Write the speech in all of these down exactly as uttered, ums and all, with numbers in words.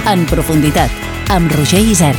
En profunditat, amb Roger Isern.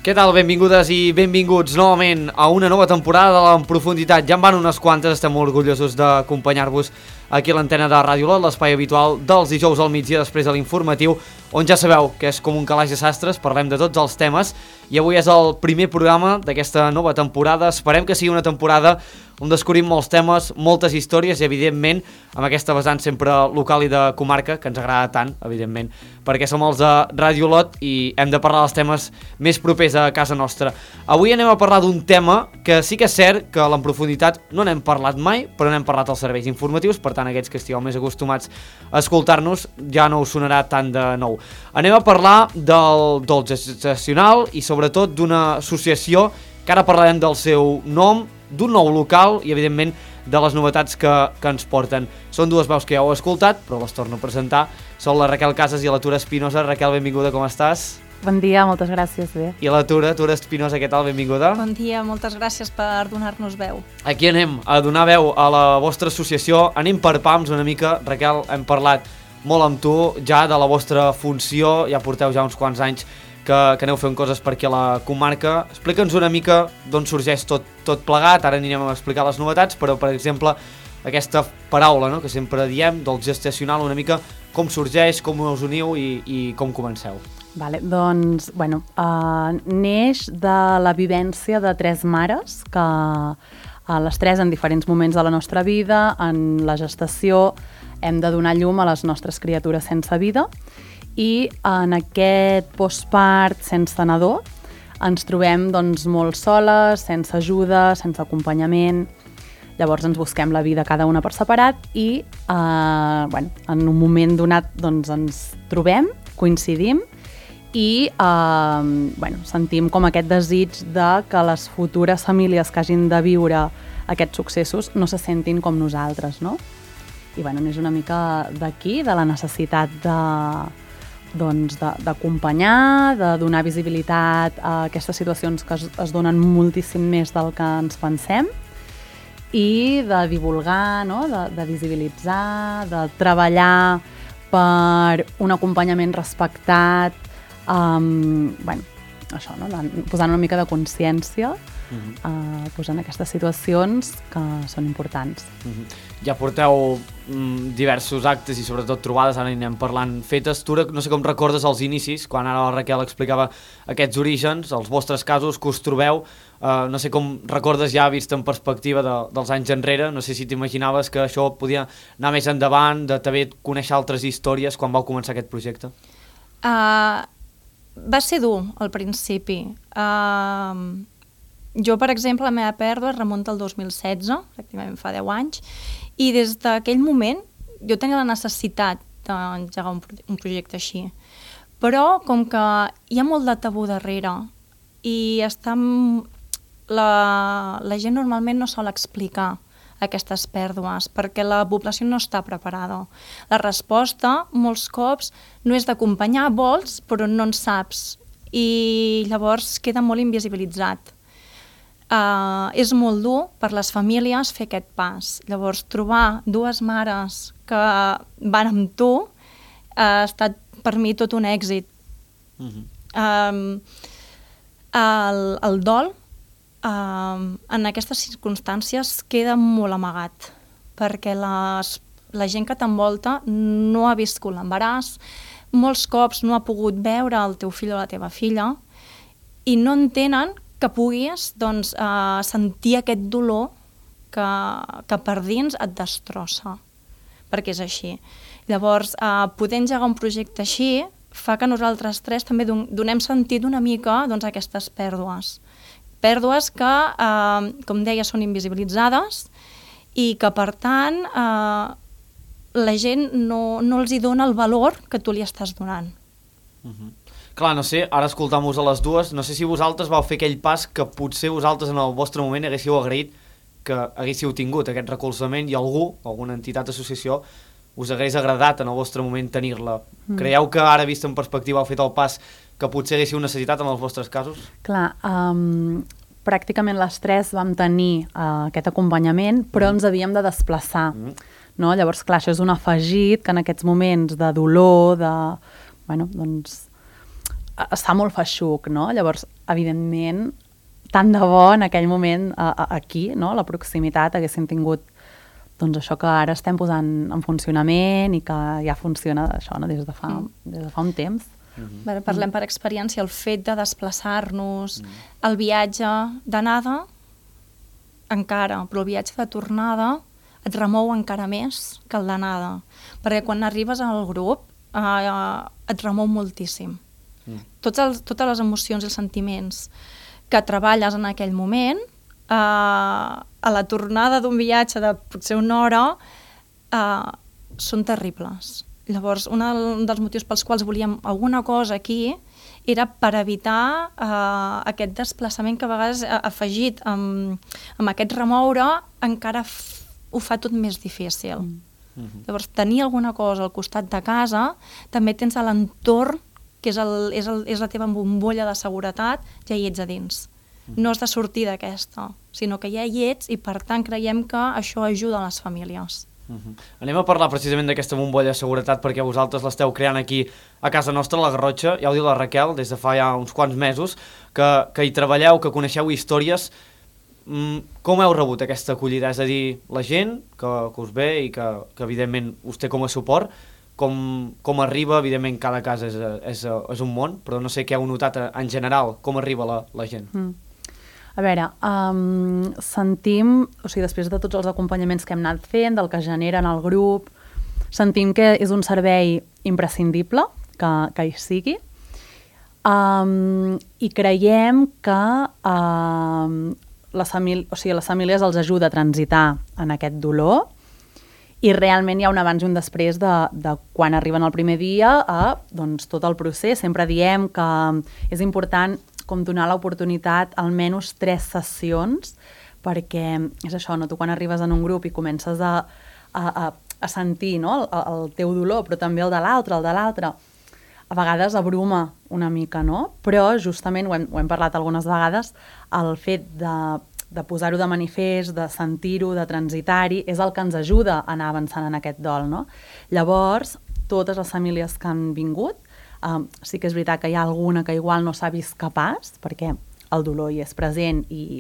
Què tal? Benvingudes i benvinguts novament a una nova temporada de l'En Profunditat. Ja en van unes quantes, estem molt orgullosos d'acompanyar-vos aquí a l'antena de Ràdio Lot, l'espai habitual dels dijous al migdia després de l'informatiu, on ja sabeu que és com un calaix de sastres, parlem de tots els temes, i avui és el primer programa d'aquesta nova temporada. Esperem que sigui una temporada on descobrim molts temes, moltes històries i, evidentment, amb aquesta vessant sempre local i de comarca, que ens agrada tant, evidentment, perquè som els de Ràdio Lot i hem de parlar dels temes més propers a casa nostra. Avui anem a parlar d'un tema que sí que és cert que en profunditat no n'hem parlat mai, però n'hem parlat als serveis informatius, per tant, aquests que estigueu més acostumats a escoltar-nos ja no us sonarà tant de nou. Anem a parlar del, del gestacional i, sobretot, d'una associació que ara parlarem del seu nom, d'un nou local i, evidentment, de les novetats que, que ens porten. Són dues veus que ja heu escoltat, però les torno a presentar. Són la Raquel Casas i la Tura Espinosa. Raquel, benvinguda, com estàs? Bon dia, moltes gràcies, bé. I la Tura, Tura Espinosa, què tal? Benvinguda. Bon dia, moltes gràcies per donar-nos veu. Aquí anem a donar veu a la vostra associació. Anem per pams una mica. Raquel, hem parlat molt amb tu ja de la vostra funció. Ja porteu ja uns quants anys que, que aneu fent coses per aquí a la comarca. Explica'ns una mica d'on sorgeix tot, tot plegat. Ara anirem a explicar les novetats, però, per exemple, aquesta paraula, no?, que sempre diem, del gestacional, una mica com sorgeix, com us uniu i, i com comenceu. Vale, doncs, bueno, uh, neix de la vivència de tres mares, que uh, les tres en diferents moments de la nostra vida, en la gestació, hem de donar llum a les nostres criatures sense vida, i en aquest postpart sense nadó ens trobem doncs, molt soles, sense ajuda, sense acompanyament. Llavors ens busquem la vida cada una per separat i eh, bueno, en un moment donat doncs, ens trobem, coincidim i eh, bueno, sentim com aquest desig de que les futures famílies que hagin de viure aquests successos no se sentin com nosaltres, no? I bueno, és una mica d'aquí, de la necessitat de doncs, d'acompanyar, de, de donar visibilitat a aquestes situacions que es, es donen moltíssim més del que ens pensem i de divulgar, no? de, de visibilitzar, de treballar per un acompanyament respectat, um, bueno, això, no? Posant una mica de consciència, uh-huh. uh, posant aquestes situacions que són importants. Uh-huh. Ja porteu mm, diversos actes i sobretot trobades, ara anem parlant fetes. Tu no sé com recordes els inicis, quan ara la Raquel explicava aquests orígens, els vostres casos, que us trobeu, uh, no sé com recordes ja vist en perspectiva de, dels anys enrere, no sé si t'imaginaves que això podia anar més endavant, de també conèixer altres històries quan vau començar aquest projecte? Uh, va ser dur al principi. Uh, jo, per exemple, la meva pèrdua es remunta al dos mil setze, pràcticament fa deu anys, i des d'aquell moment jo tenia la necessitat d'engegar un, un projecte així. Però com que hi ha molt de tabú darrere i està, la, la gent normalment no sol explicar aquestes pèrdues perquè la població no està preparada. La resposta, molts cops, no és d'acompanyar, vols, però no en saps. I llavors queda molt invisibilitzat. Uh, és molt dur per les famílies fer aquest pas. Llavors, trobar dues mares que van amb tu uh, ha estat per mi tot un èxit. Uh-huh. um, el, el dol uh, en aquestes circumstàncies queda molt amagat perquè les, la gent que t'envolta no ha viscut l'embaràs, molts cops no ha pogut veure el teu fill o la teva filla i no entenen que puguis doncs, uh, sentir aquest dolor que, que per dins et destrossa, perquè és així. Llavors, uh, poder engegar un projecte així fa que nosaltres tres també don donem sentit una mica doncs, a aquestes pèrdues. Pèrdues que, uh, com deia, són invisibilitzades i que, per tant, uh, la gent no, no els hi dona el valor que tu li estàs donant. Uh-huh. Clar, no sé, ara escoltam-vos a les dues, no sé si vosaltres vau fer aquell pas que potser vosaltres en el vostre moment haguéssiu agraït que haguéssiu tingut aquest recolzament i algú, alguna entitat, associació, us hagués agradat en el vostre moment tenir-la. Mm. Creieu que ara, vist en perspectiva, heu fet el pas que potser haguéssiu necessitat en els vostres casos? Clar, um, pràcticament les tres vam tenir uh, aquest acompanyament, però ens havíem de desplaçar. Mm. No? Llavors, clar, això és un afegit que en aquests moments de dolor, de... Bueno, doncs... es fa molt feixuc, no? Llavors, evidentment, tant de bo en aquell moment a, a, aquí, no? A la proximitat, haguessin tingut doncs això que ara estem posant en funcionament i que ja funciona això, no? des, de fa, mm. des de fa un temps. Mm-hmm. Bé, parlem per experiència, el fet de desplaçar-nos, mm. el viatge d'anada encara, però el viatge de tornada et remou encara més que el d'anada, perquè quan arribes al grup eh, et remou moltíssim. Mm. Tots els, totes les emocions i els sentiments que treballes en aquell moment, eh, a la tornada d'un viatge de potser una hora, eh, són terribles. Llavors, un dels motius pels quals volíem alguna cosa aquí era per evitar eh, aquest desplaçament que a vegades eh, afegit amb, amb aquest remoure encara f ho fa tot més difícil. Mm. Mm-hmm. Llavors, tenir alguna cosa al costat de casa, també tens a l'entorn, que és, el, és, el, és la teva bombolla de seguretat, ja hi ets a dins. Mm. No has de sortir d'aquesta, sinó que ja hi ets i, per tant, creiem que això ajuda a les famílies. Uh-huh. Anem a parlar precisament d'aquesta bombolla de seguretat perquè vosaltres l'esteu creant aquí a casa nostra, a la Garrotxa, ja ho diu la Raquel, des de fa ja uns quants mesos, que, que hi treballeu, que coneixeu històries. Mm, com heu rebut aquesta acollida? És a dir, la gent que, que us ve i que, que evidentment us té com a suport, com, com arriba, evidentment cada casa és, és, és un món, però no sé què heu notat en general, com arriba la, la gent. Mm. A veure, um, sentim, o sigui, després de tots els acompanyaments que hem anat fent, del que generen el grup, sentim que és un servei imprescindible, que, que hi sigui, um, i creiem que um, les, famílies, o sigui, les famílies els ajuda a transitar en aquest dolor, i realment hi ha un abans i un després de, de quan arriben el primer dia a doncs, tot el procés. Sempre diem que és important com donar l'oportunitat almenys tres sessions, perquè és això, no? Tu quan arribes en un grup i comences a, a, a, a sentir, no? el, el teu dolor, però també el de l'altre, el de l'altre, a vegades abruma una mica, no? Però justament, ho hem, ho hem parlat algunes vegades, el fet de, de posar-ho de manifest, de sentir-ho, de transitar-hi, és el que ens ajuda a anar avançant en aquest dol, no? Llavors, totes les famílies que han vingut, Um, sí que és veritat que hi ha alguna que igual no s'ha vist capaç, perquè el dolor hi és present i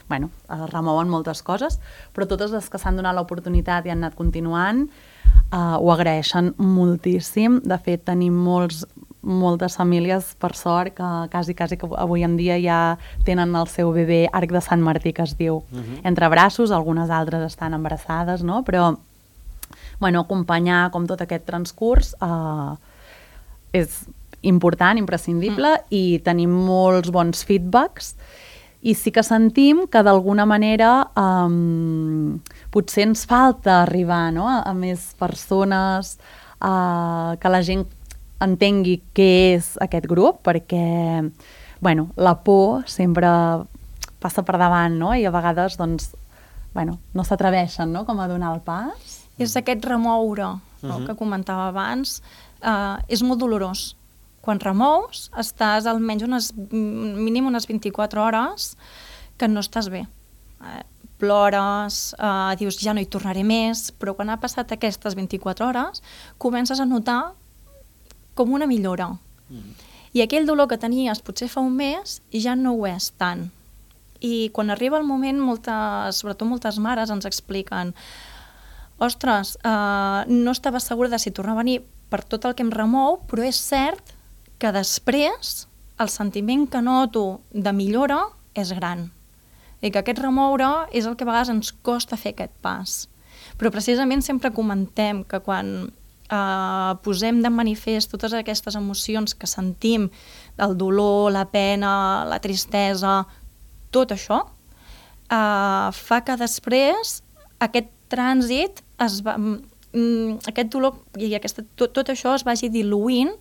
bueno, remouen moltes coses, però totes les que s'han donat l'oportunitat i han anat continuant uh, ho agraeixen moltíssim. De fet, tenim molts, moltes famílies, per sort, que quasi, quasi que avui en dia ja tenen el seu bebè arc de Sant Martí, que es diu, uh-huh. entre braços, algunes altres estan embarassades, no? Però bueno, acompanyar com tot aquest transcurs uh, és important, imprescindible, mm. i tenim molts bons feedbacks, i sí que sentim que d'alguna manera um, potser ens falta arribar, no? a, a més persones, uh, que la gent entengui què és aquest grup, perquè bueno, la por sempre passa per davant, no? I a vegades doncs, bueno, no s'atreveixen, no? Com a donar el pas. És aquest remoure, no? uh-huh. que comentava abans. Uh, és molt dolorós. Quan remous, estàs almenys unes, mínim unes vint-i-quatre hores que no estàs bé. Uh, plores, uh, dius ja no hi tornaré més, però quan ha passat aquestes vint-i-quatre hores comences a notar com una millora. Mm. I aquell dolor que tenies potser fa un mes ja no ho és tant. I quan arriba el moment, moltes, sobretot moltes mares ens expliquen ostres, uh, no estava segura de si tornar a venir per tot el que em remou, però és cert que després el sentiment que noto de millora és gran. I que aquest remoure és el que a vegades ens costa fer aquest pas. Però precisament sempre comentem que quan eh, posem de manifest totes aquestes emocions que sentim, el dolor, la pena, la tristesa, tot això, eh, fa que després aquest trànsit es va... aquest dolor i aquesta, tot, tot això es vagi diluint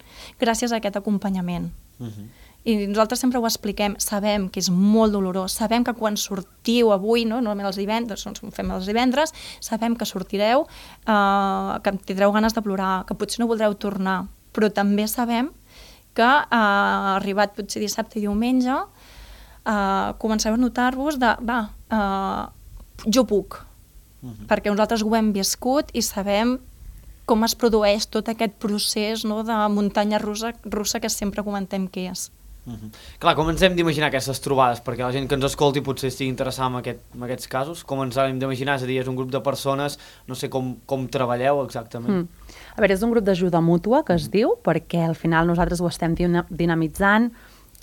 gràcies a aquest acompanyament. Uh-huh. I nosaltres sempre ho expliquem, sabem que és molt dolorós, sabem que quan sortiu avui, no, normalment els divendres, doncs fem els divendres, sabem que sortireu, eh, que tindreu ganes de plorar, que potser no voldreu tornar, però també sabem que eh, arribat potser dissabte i diumenge eh, comenceu a notar-vos de, va, eh, jo puc, uh-huh. perquè nosaltres ho hem viscut i sabem com es produeix tot aquest procés, no, de muntanya russa, russa que sempre comentem que és. Uh-huh. Clar, com ens hem d'imaginar aquestes trobades? Perquè la gent que ens escolti potser estigui interessada en, aquest, en aquests casos. Com ens hem d'imaginar? És a dir, és un grup de persones, no sé com, com treballeu exactament. Mm. A veure, és un grup d'ajuda mútua, que es mm. diu, perquè al final nosaltres ho estem dinamitzant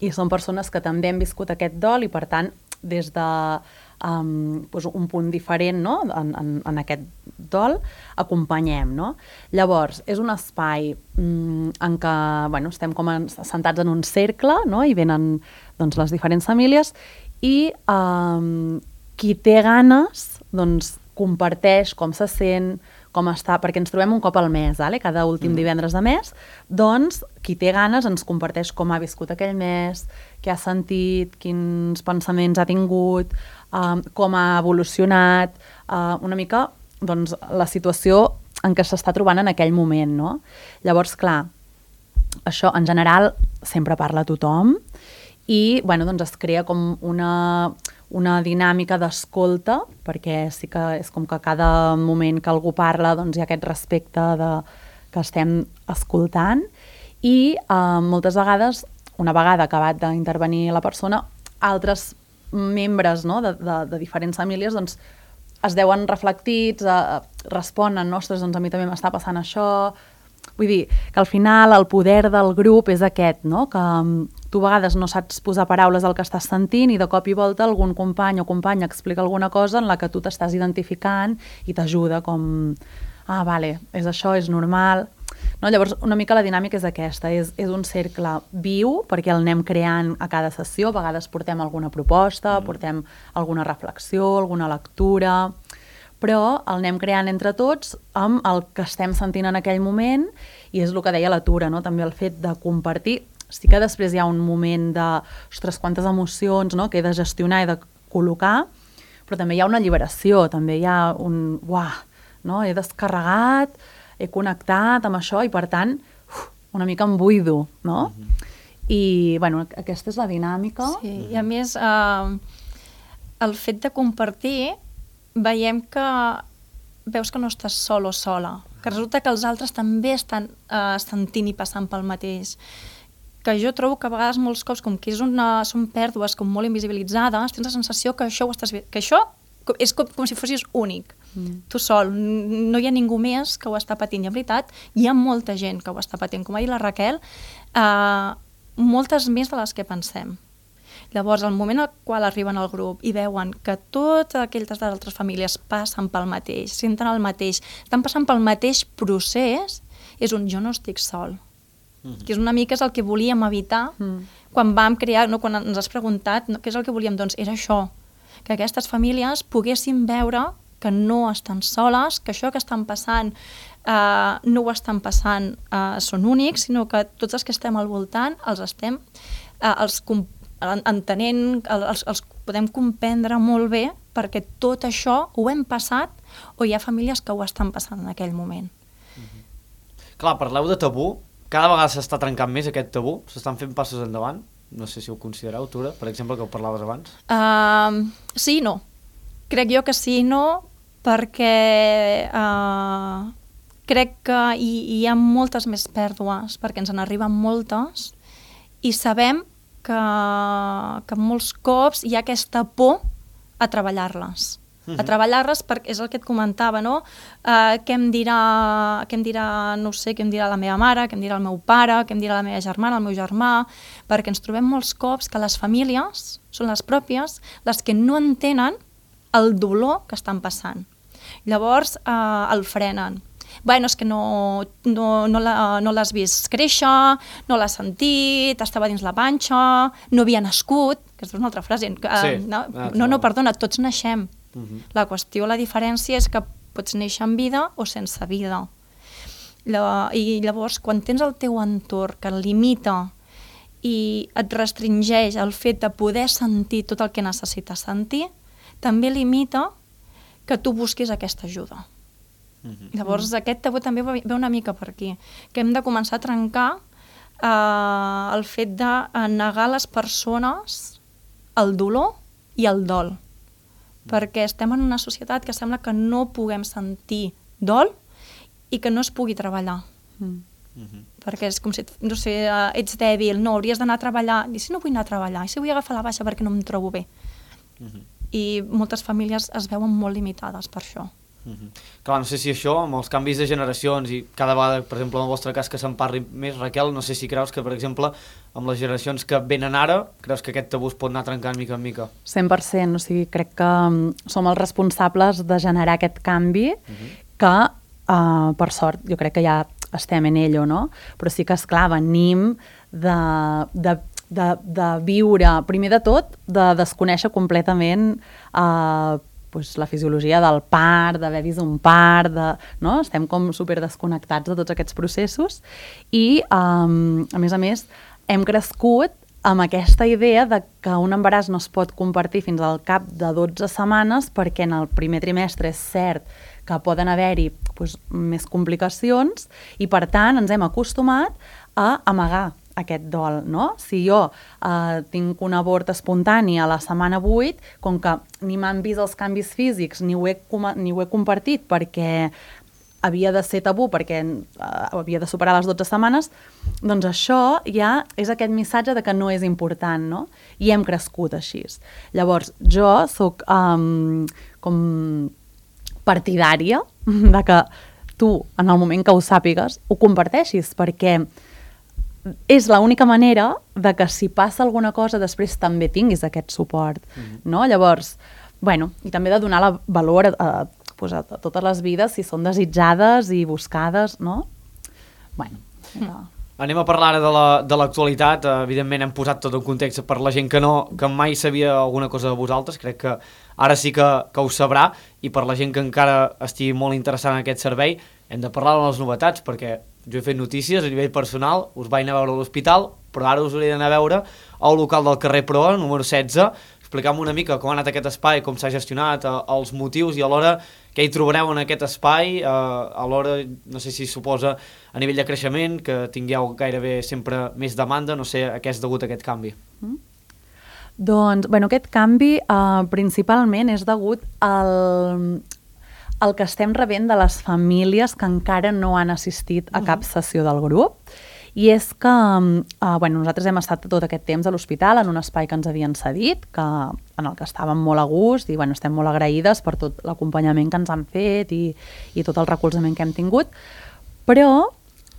i són persones que també han viscut aquest dol i, per tant, des de um, doncs un punt diferent, no? en, en, en aquest dol, acompanyem. No? Llavors, és un espai mm, en què bueno, estem com en, sentats en un cercle, no? I venen doncs, les diferents famílies i um, qui té ganes doncs, comparteix com se sent, com està, perquè ens trobem un cop al mes, vale? Cada últim mm. divendres de mes, doncs qui té ganes ens comparteix com ha viscut aquell mes, què ha sentit, quins pensaments ha tingut, um, com ha evolucionat, uh, una mica doncs, la situació en què s'està trobant en aquell moment. No? Llavors, clar, això en general sempre parla tothom i bueno, doncs es crea com una... una dinàmica d'escolta, perquè sí que és com que cada moment que algú parla doncs hi ha aquest respecte de, que estem escoltant i eh, moltes vegades, una vegada acabat d'intervenir la persona, altres membres no, de, de, de diferents famílies doncs, es deuen reflectits, eh, responen, ostres, doncs a mi també m'està passant això. Vull dir, que al final el poder del grup és aquest, no? Que tu a vegades no saps posar paraules al que estàs sentint i de cop i volta algun company o companya explica alguna cosa en la que tu t'estàs identificant i t'ajuda com, ah, vale, és això, és normal. No? Llavors, una mica la dinàmica és aquesta, és, és un cercle viu perquè el anem creant a cada sessió, a vegades portem alguna proposta, mm. portem alguna reflexió, alguna lectura... però el anem creant entre tots amb el que estem sentint en aquell moment i és el que deia la Tura, no? També el fet de compartir. Sí que després hi ha un moment de, ostres, quantes emocions no? que he de gestionar i de col·locar, però també hi ha una alliberació, també hi ha un, uah, no? He descarregat, he connectat amb això i per tant uf, una mica em buido, no? Mm-hmm. I bueno, aquesta és la dinàmica. Sí, i a més eh, el fet de compartir veiem que veus que no estàs sol o sola, que resulta que els altres també estan eh, sentint i passant pel mateix. Que jo trobo que a vegades molts cops, com que és una, són pèrdues com molt invisibilitzades, tens la sensació que això, ho estàs, que això és com, com si fossis únic, mm. tu sol, no hi ha ningú més que ho està patint. I en veritat hi ha molta gent que ho està patint, com ha dit la Raquel, eh, moltes més de les que pensem. Llavors, al moment al qual arriben al grup i veuen que totes aquelles altres famílies passen pel mateix, senten el mateix, estan passant pel mateix procés, és un jo no estic sol. Mm. Que és una mica és el que volíem evitar mm. quan vam crear, no, quan ens has preguntat no, què és el que volíem, doncs era això, que aquestes famílies poguessin veure que no estan soles, que això que estan passant eh, no ho estan passant, eh, són únics, sinó que tots els que estem al voltant els estem, eh, els compartim entenent, els, els podem comprendre molt bé perquè tot això ho hem passat o hi ha famílies que ho estan passant en aquell moment. Mm-hmm. Clar, parleu de tabú, cada vegada s'està trencant més aquest tabú, s'estan fent passos endavant, no sé si ho considereu, Tura, per exemple, que ho parlaves abans. Uh, sí i no. Crec jo que sí i no, perquè uh, crec que hi, hi ha moltes més pèrdues, perquè ens en arriben moltes, i sabem que, que molts cops hi ha aquesta por a treballar-les. Uh-huh. A treballar-les perquè és el que et comentava, no? Uh, què em dirà, què em dirà, no sé, què em dirà la meva mare, què em dirà el meu pare, què em dirà la meva germana, el meu germà, perquè ens trobem molts cops que les famílies són les pròpies les que no entenen el dolor que estan passant. Llavors uh, el frenen. Bueno, és que no, no, no, la, no l'has vist créixer, no l'has sentit, estava dins la panxa, no havia nascut, que és una altra frase. Uh, sí, no, no, no, perdona, tots naixem. Uh-huh. La qüestió, la diferència és que pots néixer amb vida o sense vida. La, I llavors, quan tens el teu entorn que el limita i et restringeix el fet de poder sentir tot el que necessites sentir, també limita que tu busquis aquesta ajuda. Uh-huh. Llavors, aquest tabú també ve una mica per aquí, que hem de començar a trencar eh, el fet de negar a les persones el dolor i el dol. Perquè estem en una societat que sembla que no puguem sentir dol i que no es pugui treballar. Mm. Mhm. Perquè és com si, no sé, eh, ets dèbil, no, hauries d'anar a treballar. I si no vull anar a treballar? I si vull agafar la baixa perquè no em trobo bé? Mhm. I moltes famílies es veuen molt limitades per això. Mhm. Clar, no sé si això, amb els canvis de generacions i cada vegada, per exemple, en el vostre cas que se'n parli més, Raquel, no sé si creus que, per exemple, amb les generacions que venen ara, creus que aquest tabú es pot anar trencant mica en mica? cent per cent, o sigui, crec que mm, som els responsables de generar aquest canvi que, uh, per sort, jo crec que ja estem en ello, no? Però sí que, esclar, venim de, de, de, de viure, primer de tot, de desconèixer completament uh, pues, la fisiologia del part, d'haver vist un part, de, no? Estem com super desconnectats de tots aquests processos i, um, a més a més, hem crescut amb aquesta idea de que un embaràs no es pot compartir fins al cap de dotze setmanes perquè en el primer trimestre és cert que poden haver-hi doncs, més complicacions i, per tant, ens hem acostumat a amagar aquest dol, no? Si jo eh, tinc un abort espontani a la setmana vuit, com que ni m'han vist els canvis físics ni ho he, ni ho he compartit perquè havia de ser tabú, perquè uh, havia de superar les dotze setmanes, doncs això ja és aquest missatge de que no és important, no? I hem crescut així. Llavors, jo sóc um, com partidària de que tu, en el moment que ho sàpigues, ho comparteixis, perquè és l'única manera de que si passa alguna cosa després també tinguis aquest suport, mm-hmm. no? Llavors, bueno, i també de donar la valor a, a, pues a totes les vides si són desitjades i buscades, no? Bueno, mm. Anem a parlar ara de l'actualitat. La, evidentment hem posat tot en context per la gent que no, que mai sabia alguna cosa de vosaltres, crec que ara sí que, que ho sabrà, i per la gent que encara estigui molt interessada en aquest servei hem de parlar de les novetats, perquè jo he fet notícies a nivell personal, us vaig anar a veure a l'hospital, però ara us hauré d'anar a veure al local del carrer Proa, número setze. Explica'm una mica com ha anat aquest espai, com s'ha gestionat, eh, els motius i alhora què hi trobareu en aquest espai, eh, alhora, no sé si suposa a nivell de creixement, que tingueu gairebé sempre més demanda, no sé a què és degut aquest canvi. Mm. Doncs, bueno, aquest canvi eh, principalment és degut al, al que estem rebent de les famílies que encara no han assistit a cap sessió del grup. I és que eh, bueno, nosaltres hem estat tot aquest temps a l'hospital en un espai que ens havien cedit, que, en el que estàvem molt a gust i bueno, estem molt agraïdes per tot l'acompanyament que ens han fet i, i tot el recolzament que hem tingut, però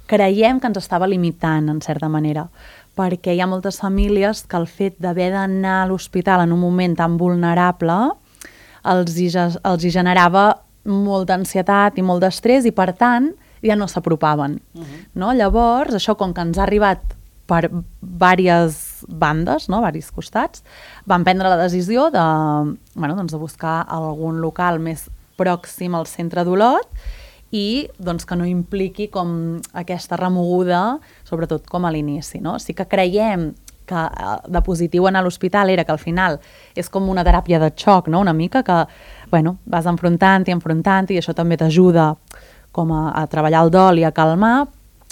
creiem que ens estava limitant en certa manera, perquè hi ha moltes famílies que el fet d'haver d'anar a l'hospital en un moment tan vulnerable els hi, els hi generava molta ansietat i molt d'estrès i, per tant, ja no s'apropaven. Uh-huh. No? Llavors, això com que ens ha arribat per diverses bandes, no? Diversos costats, vam prendre la decisió de, bueno, doncs de buscar algun local més pròxim al centre d'Olot i doncs, que no impliqui com aquesta remoguda, sobretot com a l'inici. No? Sí que creiem que de positiu anar a l'hospital era que al final és com una teràpia de xoc, no? Una mica que bueno, vas enfrontant i enfrontant i això també t'ajuda com a, a treballar el dol i a calmar,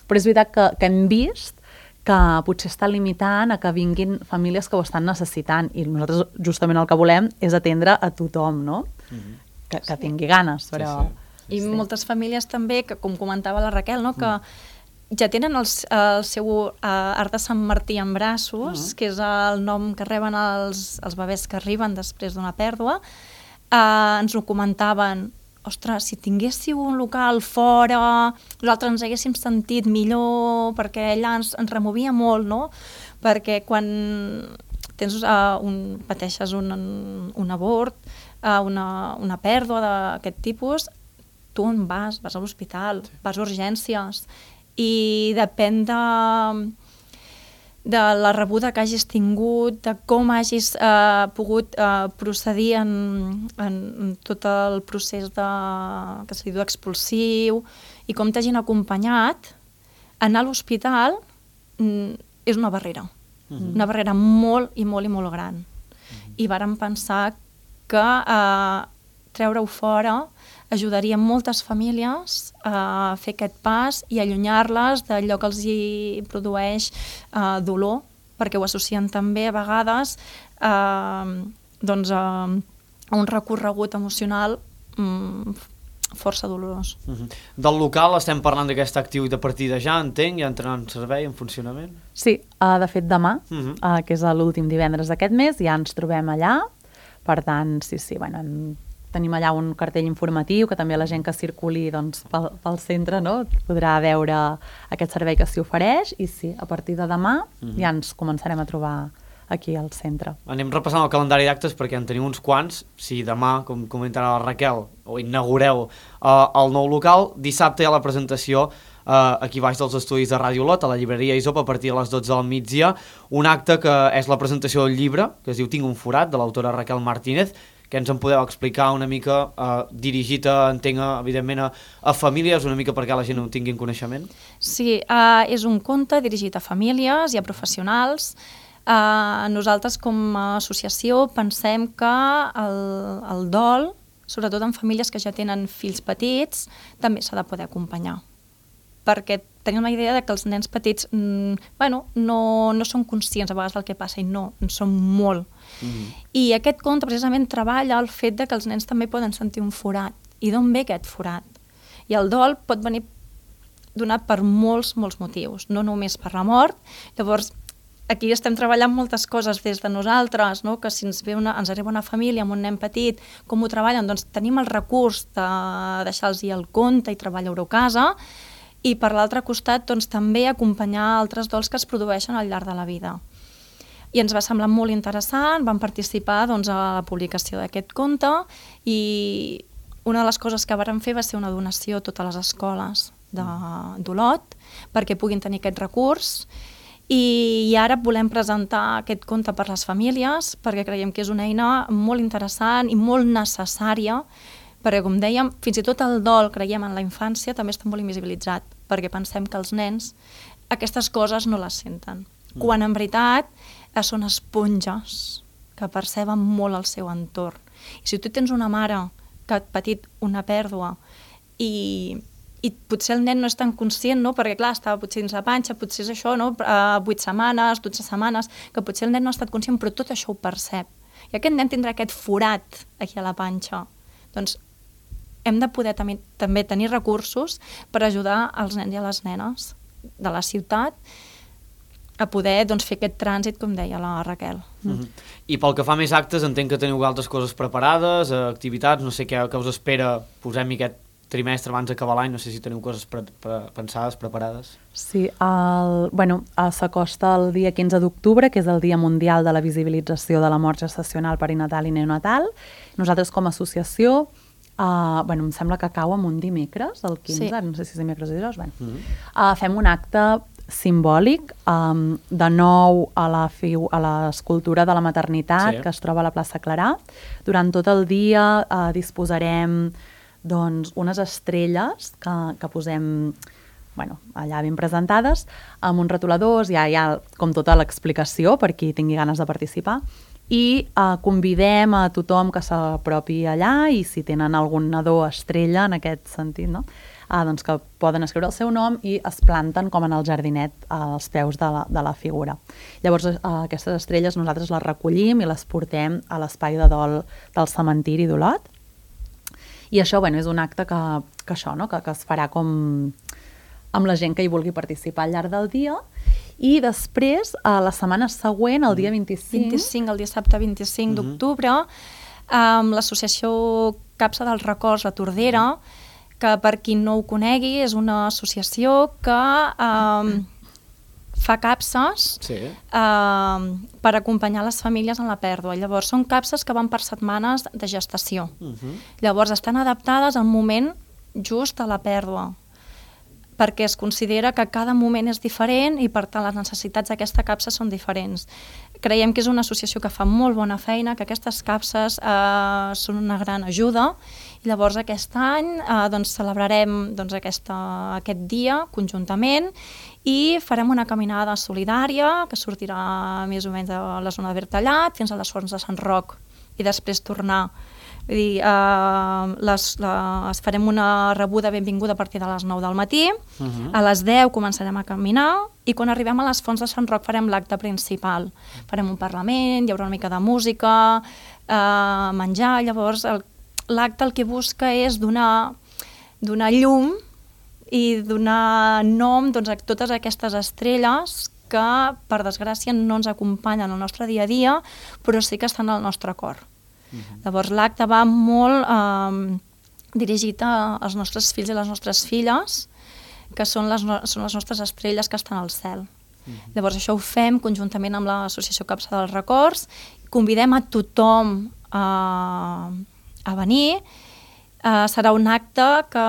però és veritat que, que hem vist que potser està limitant a que vinguin famílies que ho estan necessitant i nosaltres justament el que volem és atendre a tothom, no? Mm-hmm. que, que tingui ganes, però... Sí, sí. I sí. moltes famílies també, que com comentava la Raquel, no? que mm. ja tenen el, el seu uh, art de Sant Martí en braços, mm. que és el nom que reben els, els bebès que arriben després d'una pèrdua, uh, ens ho comentaven, ostres, si tinguéssiu un local fora, nosaltres ens haguéssim sentit millor, perquè allà ens, ens removia molt, no? Perquè quan tens, uh, un, pateixes un, un abort, uh, una, una pèrdua d'aquest tipus, tu on vas? Vas a l'hospital, sí. Vas a urgències, i depèn de, de la rebuda que hagis tingut, de com hagis eh, pogut eh, procedir en, en, en tot el procés de, que se li diu expulsiu i com t'hagin acompanyat, anar a l'hospital mm, és una barrera. Uh-huh. Una barrera molt i molt i molt gran. Uh-huh. I vàrem pensar que eh, treure-ho fora ajudaria moltes famílies a fer aquest pas i allunyar-les d'allò que els hi produeix eh, dolor, perquè ho associen també a vegades eh, doncs, a, a un recorregut emocional mm, força dolorós. Uh-huh. Del local estem parlant d'aquesta activitat a partir de ja, entenc, ja entrarà en servei, en funcionament? Sí, uh, de fet demà, uh-huh. uh, que és l'últim divendres d'aquest mes, ja ens trobem allà, per tant, sí, sí, bueno, en, tenim allà un cartell informatiu que també la gent que circuli doncs, pel, pel centre, no?, podrà veure aquest servei que s'hi ofereix i sí, a partir de demà uh-huh. ja ens començarem a trobar aquí al centre. Anem repassant el calendari d'actes perquè en tenim uns quants. Si demà, com comentarà la Raquel, o inaugureu uh, el nou local, dissabte hi ha la presentació uh, aquí baix dels estudis de Ràdio Lot, a la llibreria Isop, a partir de les dotze del migdia, un acte que és la presentació del llibre, que es diu Tinc un forat, de l'autora Raquel Martínez, que ens en podeu explicar una mica, uh, dirigit a, entenc, evidentment, a, a famílies, una mica perquè la gent no tinguin coneixement? Sí, uh, és un conte dirigit a famílies i a professionals. Uh, nosaltres com a associació pensem que el, el dol, sobretot en famílies que ja tenen fills petits, també s'ha de poder acompanyar. Perquè tenim la idea de que els nens petits mm, bueno, no, no són conscients a vegades del que passa i no, en són molt. Mm. I aquest conte precisament treballa el fet de que els nens també poden sentir un forat. I d'on ve aquest forat? I el dol pot venir donat per molts, molts motius, no només per la mort. Llavors, aquí estem treballant moltes coses des de nosaltres, no? Que si ens, ve una, ens arriba una família amb un nen petit, com ho treballen? Doncs tenim el recurs de deixar-los el conte i treballar-ho a casa, i per l'altre costat doncs, també acompanyar altres dols que es produeixen al llarg de la vida. I ens va semblar molt interessant, vam participar doncs, a la publicació d'aquest conte i una de les coses que vàrem fer va ser una donació a totes les escoles d'Olot perquè puguin tenir aquest recurs. I, i ara volem presentar aquest conte per les famílies perquè creiem que és una eina molt interessant i molt necessària perquè, com dèiem, fins i tot el dol, creiem, en la infància també està molt invisibilitzat perquè pensem que els nens aquestes coses no les senten. Mm. Quan en veritat són esponges que perceben molt el seu entorn. I si tu tens una mare que ha patit una pèrdua i... i potser el nen no és tan conscient, no? Perquè clar, estava potser dins la panxa, potser és això, no? Uh, vuit setmanes, dotze setmanes, que potser el nen no ha estat conscient, però tot això ho percep. I aquest nen tindrà aquest forat aquí a la panxa. Doncs hem de poder també, també tenir recursos per ajudar els nens i a les nenes de la ciutat a poder doncs, fer aquest trànsit, com deia la Raquel. Uh-huh. I pel que fa més actes, entenc que teniu altres coses preparades, activitats, no sé què, què us espera, posem-hi aquest trimestre abans d'acabar l'any, no sé si teniu coses pre pre pensades, preparades. Sí, el, bueno, s'acosta el dia quinze d'octubre, que és el Dia Mundial de la Visibilització de la Mort Gestacional, Perinatal i Neonatal. Nosaltres com a associació, uh, bueno, em sembla que cau en un dimecres, el quinze, sí. No sé si és dimecres o dijous, bueno. Mm-hmm. uh, fem un acte simbòlic, um, de nou a la fiu, a l'escultura de la maternitat, sí. Que es troba a la plaça Clarà. Durant tot el dia uh, disposarem doncs, unes estrelles que, que posem bueno, allà ben presentades, amb uns retoladors, hi ha, hi ha com tota l'explicació per qui tingui ganes de participar, i eh, convidem a tothom que s'apropi allà i si tenen algun nadó estrella en aquest sentit, no? eh, doncs que poden escriure el seu nom i es planten com en el jardinet als peus de la, de la figura. Llavors eh, aquestes estrelles nosaltres les recollim i les portem a l'espai de dol del cementiri d'Olot. I això bueno, és un acte que, que, això, no? que, que es farà com amb la gent que hi vulgui participar al llarg del dia. I després, a la setmana següent, el dia vint-i-cinc... vint-i-cinc, el dissabte vint-i-cinc uh-huh. d'octubre, amb l'associació Capsa dels Records, la Tordera, que per qui no ho conegui és una associació que... Um, fa capses sí. eh, per acompanyar les famílies en la pèrdua. Llavors, són capses que van per setmanes de gestació. Uh-huh. Llavors, estan adaptades al moment just a la pèrdua, perquè es considera que cada moment és diferent i, per tant, les necessitats d'aquesta capsa són diferents. Creiem que és una associació que fa molt bona feina, que aquestes capses eh, són una gran ajuda. I llavors, aquest any eh, doncs, celebrarem doncs, aquesta, aquest dia conjuntament i farem una caminada solidària que sortirà més o menys de la zona de Bertallat fins a les Fonts de Sant Roc i després tornar Vull dir, eh, les, les farem una rebuda benvinguda a partir de les nou del matí, uh-huh. a les deu començarem a caminar i quan arribem a les Fonts de Sant Roc farem l'acte principal. Farem un parlament, hi haurà una mica de música, eh, menjar, llavors el, l'acte el que busca és donar, donar llum i donar nom doncs, a totes aquestes estrelles que, per desgràcia, no ens acompanyen al nostre dia a dia, però sí que estan al nostre cor. Uh-huh. Llavors, l'acte va molt eh, dirigit a, als nostres fills i les nostres filles, que són les, no, són les nostres estrelles que estan al cel. Uh-huh. Llavors, això ho fem conjuntament amb l'Associació Capçada dels Records, convidem a tothom a, a venir. Uh, serà un acte que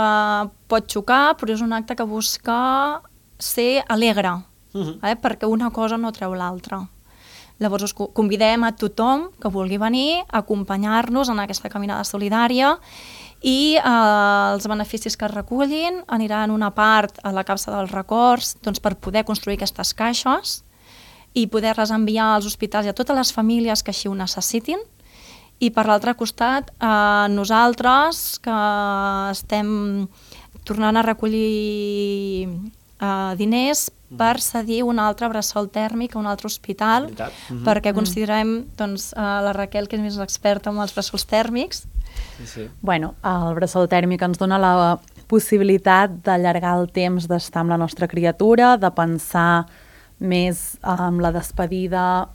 pot xocar, però és un acte que busca ser alegre, uh-huh. eh? perquè una cosa no treu l'altra. Llavors us convidem a tothom que vulgui venir a acompanyar-nos en aquesta caminada solidària i uh, els beneficis que es recullin aniran una part a la Capsa dels Records doncs, per poder construir aquestes caixes i poder-les enviar als hospitals i a totes les famílies que així ho necessitin. I per l'altre costat, eh, nosaltres que estem tornant a recollir eh, diners per cedir un altre bressol tèrmic a un altre hospital, mm-hmm. perquè considerem, doncs, eh, la Raquel, que és més experta en els bressols tèrmics. Sí, sí. Bueno, el bressol tèrmic ens dona la possibilitat d'allargar el temps d'estar amb la nostra criatura, de pensar més en la despedida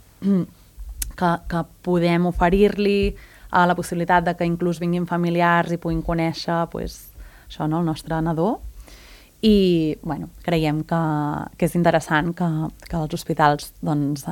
Que, que podem oferir-li, a la possibilitat de que inclús vinguin familiars i puguin conèixer pues, això, no? el nostre nadó. I bueno, creiem que, que és interessant que, que els hospitals doncs,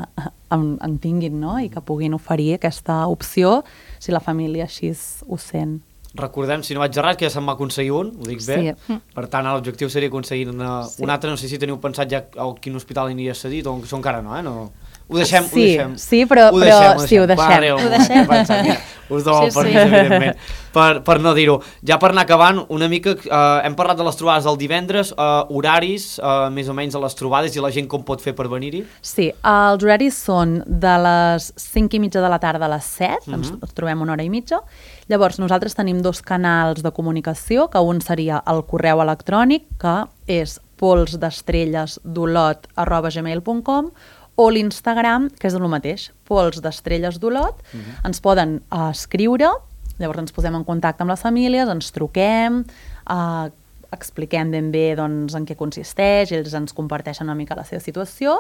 en, en tinguin, no? I que puguin oferir aquesta opció si la família així ho sent. Recordem, si no vaig errat, que ja se'n va aconseguir un, ho dic bé. Sí. Per tant, l'objectiu seria aconseguir una, sí. un altre. No sé si teniu pensat ja a quin hospital aniria cedit o encara no, eh? No... Ho deixem, sí, ho deixem. Sí, però, ho però deixem, ho sí, ho deixem. Pare, ho deixem. Pensar, mira, us dono el permís, evidentment, per, per no dir-ho. Ja per anar acabant, una mica, eh, hem parlat de les trobades del divendres, eh, horaris, eh, més o menys de les trobades, i la gent com pot fer per venir-hi? Sí, els horaris són de les cinc i mitja de la tarda a les set, uh-huh. ens, ens trobem una hora i mitja. Llavors, nosaltres tenim dos canals de comunicació, que un seria el correu electrònic, que és polsdestrellesdolot arroba gmail punt com, o l'Instagram, que és el mateix, pols d'estrelles d'Olot, uh-huh. ens poden uh, escriure, llavors ens posem en contacte amb les famílies, ens truquem, uh, expliquem ben bé doncs, en què consisteix, ells ens comparteixen una mica la seva situació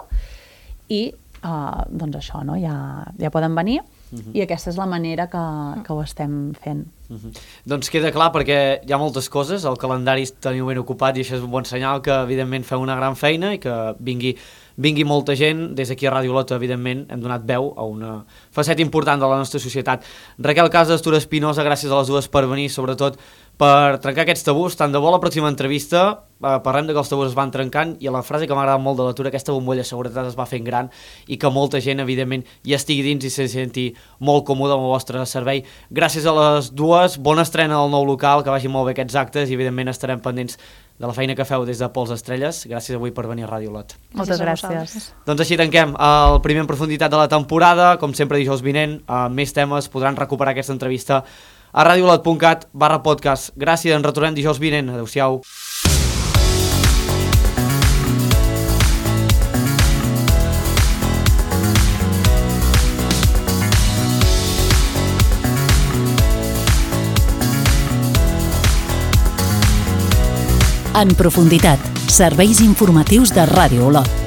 i uh, doncs això, no? ja, ja poden venir. Uh-huh. I aquesta és la manera que, que ho estem fent. Uh-huh. Doncs queda clar perquè hi ha moltes coses, el calendari teniu ben ocupat i això és un bon senyal que evidentment feu una gran feina i que vingui vingui molta gent. Des d'aquí a Ràdio Olot, evidentment, hem donat veu a una faceta important de la nostra societat. Raquel Casas, Tura Espinosa, gràcies a les dues per venir, sobretot per trencar aquests tabús. Tant de bo la pròxima entrevista eh, parlem de que els tabús es van trencant i a la frase que m'ha agradat molt de la Tura, aquesta bombolla de seguretat es va fent gran i que molta gent, evidentment, hi estigui dins i se senti molt còmode amb el vostre servei. Gràcies a les dues, bona estrena del nou local, que vagin molt bé aquests actes i, evidentment, estarem pendents de la feina que feu des de Pols Estrelles. Gràcies avui per venir a Ràdio Olot. Moltes gràcies. Doncs així tanquem el primer en profunditat de la temporada. Com sempre, dijous vinent, amb més temes podran recuperar aquesta entrevista a radioolot punt cat barra podcast. Gràcies, ens retornem dijous vinent. Adéu-siau. En profunditat, serveis informatius de Ràdio Olot.